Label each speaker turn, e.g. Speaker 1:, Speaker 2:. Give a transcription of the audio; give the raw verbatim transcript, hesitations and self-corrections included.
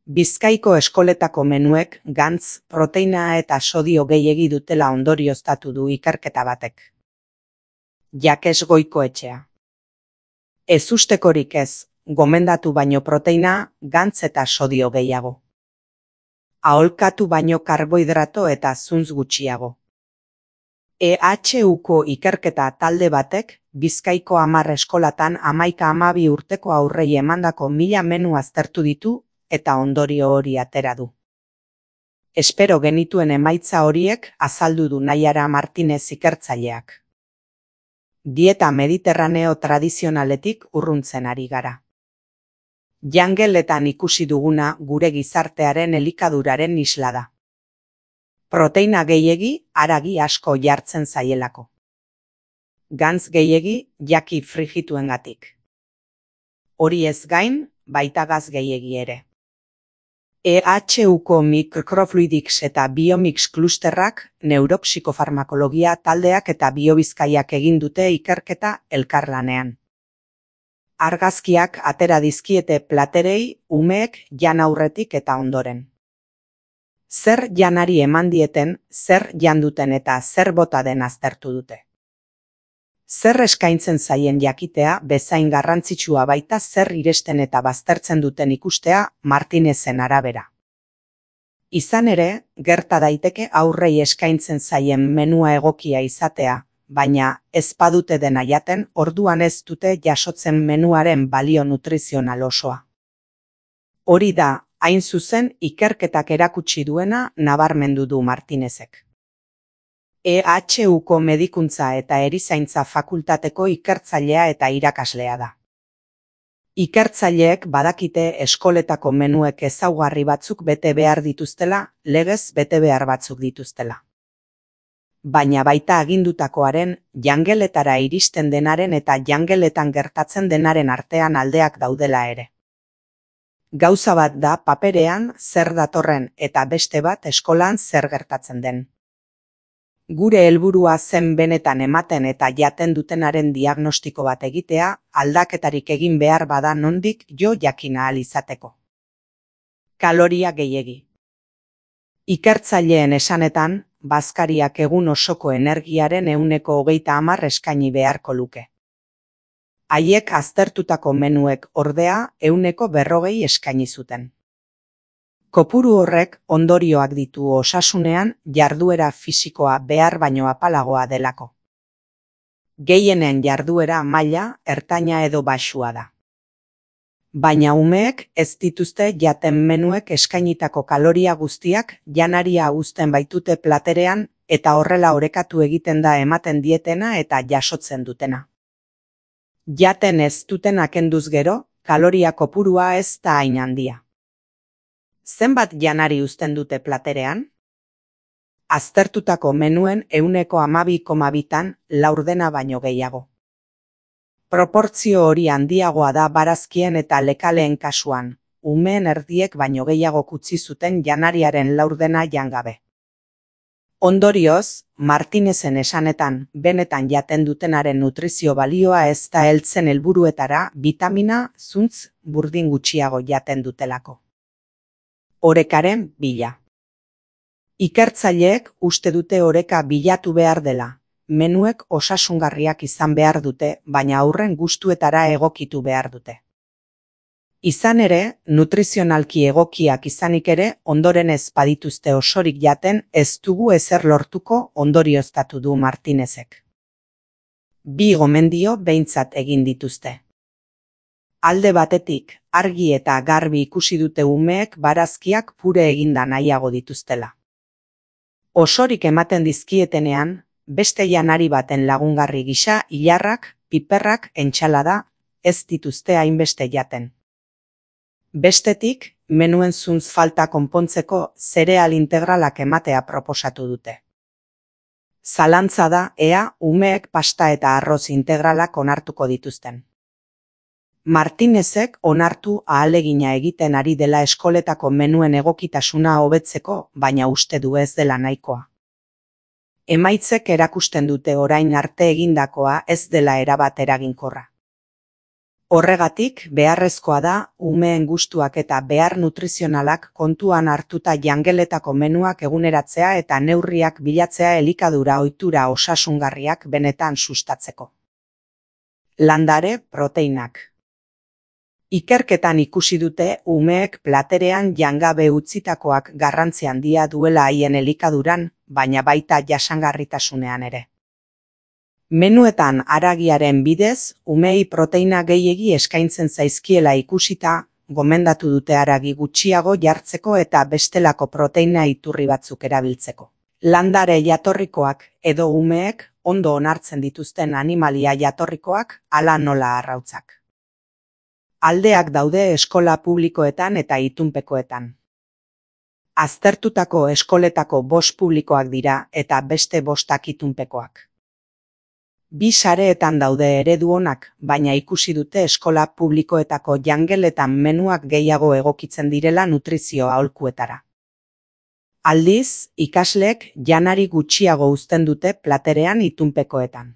Speaker 1: Bizkaiko eskoletako menuek gantz, proteina eta sodio gehiegi dutela ondorioztatu du ikerketa batek. Jakes Goikoetxea. Ezustekorik ez, gomendatu baino proteina, gantz eta sodio gehiago. Aholkatu baino karbohidrato eta zuntz gutxiago. E H Uko ikerketa talde batek, Bizkaiko hamar eskolatan hamaika hamabi urteko aurrei emandako mila menu aztertu ditu, eta ondorio hori atera du. Espero genituen emaitza horiek azaldu du Naiara Martinez ikertzaileak. Dieta mediterraneo tradizionaletik urruntzen ari gara. Jangeletan ikusi duguna gure gizartearen elikaduraren isla da. Proteina gehiegi, haragi asko jartzen zaielako. Gantz gehiegi, jaki frigituengatik. Hori ez gain, baita gaz gehiegi ere. E H Uko Microfluidics eta Biomix klusterrak, neuropsikofarmakologia taldeak eta biobizkaiak egin dute ikerketa elkarlanean. Argazkiak atera dizkiete platerei, umeek jan aurretik eta ondoren. Zer janari eman dieten, zer janduten eta zer bota den aztertu dute. Zer eskaintzen zaien jakitea bezain garrantzitsua baita zer iresten eta baztertzen duten ikustea Martinezen arabera. Izan ere, gerta daiteke aurrei eskaintzen zaien menua egokia izatea, baina ez badute dena jaten, orduan ez dute jasotzen menuaren balio nutrizional osoa. Hori da, hain zuzen ikerketak erakutsi duena nabarmendu du Martinezek. E H Uko medikuntza eta erizaintza fakultateko ikertzailea eta irakaslea da. Ikertzaileek badakite eskoletako menuek ezaugarri batzuk bete behar dituztela, legez bete behar batzuk dituztela. Baina baita agindutakoaren, jangeletara iristen denaren eta jangeletan gertatzen denaren artean aldeak daudela ere. Gauza bat da paperean zer datorren eta beste bat eskolan zer gertatzen den. Gure helburua zen benetan ematen eta jaten dutenaren diagnostiko bat egitea, aldaketarik egin behar bada nondik jo jakin ahal izateko. Kaloria gehiegi. Ikertzaileen esanetan, bazkariak egun osoko energiaren ehuneko hogeita hamar eskaini beharko luke. Haiek aztertutako menuek ordea ehuneko berrogei eskaini zuten. Kopuru horrek ondorioak ditu osasunean jarduera fisikoa behar baino apalagoa delako. Gehienen jarduera maila ertaina edo baxua da. Baina umeek ez dituzte jaten menuek eskainitako kaloria guztiak janaria uzten baitute platerean eta horrela orekatu egiten da ematen dietena eta jasotzen dutena. Jaten ez dutena kenduz gero, kaloria kopurua ez da hain handia. Zenbat janari uzten dute platerean? Aztertutako menuen ehuneko hamabi koma bitan laurdena baino gehiago. Proportzio hori handiagoa da barazkien eta lekaleen kasuan, umeen erdiek baino gehiago kutsi zuten janariaren laurdena jangabe. Ondorioz, Martinezen esanetan benetan jaten dutenaren nutrizio balioa ez da heltzen helburuetara bitamina, zuntz, burdin gutxiago jaten dutelako. Orekaren bila. Ikertzaileek uste dute oreka bilatu behar dela, menuek osasungarriak izan behar dute, baina aurren gustuetara egokitu behar dute. Izan ere, nutrizionalki egokiak izanik ere, ondoren ez badituzte osorik jaten ez dugu ezer lortuko ondorioztatu du Martinezek. Bi gomendio behintzat egin dituzte. Alde batetik, argi eta garbi ikusi dute umeek barazkiak pure eginda nahiago dituztela. Osorik ematen dizkietenean, beste janari baten lagungarri gisa ilarrak, piperrak, entsalada, ez dituzte hainbeste jaten. Bestetik, menuen zuntz falta konpontzeko zereal integralak ematea proposatu dute. Zalantza da ea umeek pasta eta arroz integralak onartuko dituzten. Martinezek onartu ahalegina egiten ari dela eskoletako menuen egokitasuna hobetzeko, baina uste du ez dela nahikoa. Emaitzek erakusten dute orain arte egindakoa ez dela erabat eraginkorra. Horregatik, beharrezkoa da, umeen gustuak eta behar nutrizionalak kontuan hartuta jangeletako menuak eguneratzea eta neurriak bilatzea elikadura ohitura osasungarriak benetan sustatzeko. Landare proteinak. Ikerketan ikusi dute umeek platerean jangabe utzitakoak garrantzi handia duela haien elikaduran, baina baita jasangarritasunean ere. Menuetan haragiaren bidez, umei proteina gehiegi eskaintzen zaizkiela ikusita, gomendatu dute haragi gutxiago jartzeko eta bestelako proteina iturri batzuk erabiltzeko. Landare jatorrikoak edo umeek ondo onartzen dituzten animalia jatorrikoak hala nola arrautzak. Aldeak daude eskola publikoetan eta itunpekoetan. Aztertutako eskoletako bost publikoak dira eta beste bostak itunpekoak. Bi sareetan daude eredu onak, baina ikusi dute eskola publikoetako jangeletan menuak gehiago egokitzen direla nutrizio aholkuetara. Aldiz, ikasleek janari gutxiago uzten dute platerean itunpekoetan.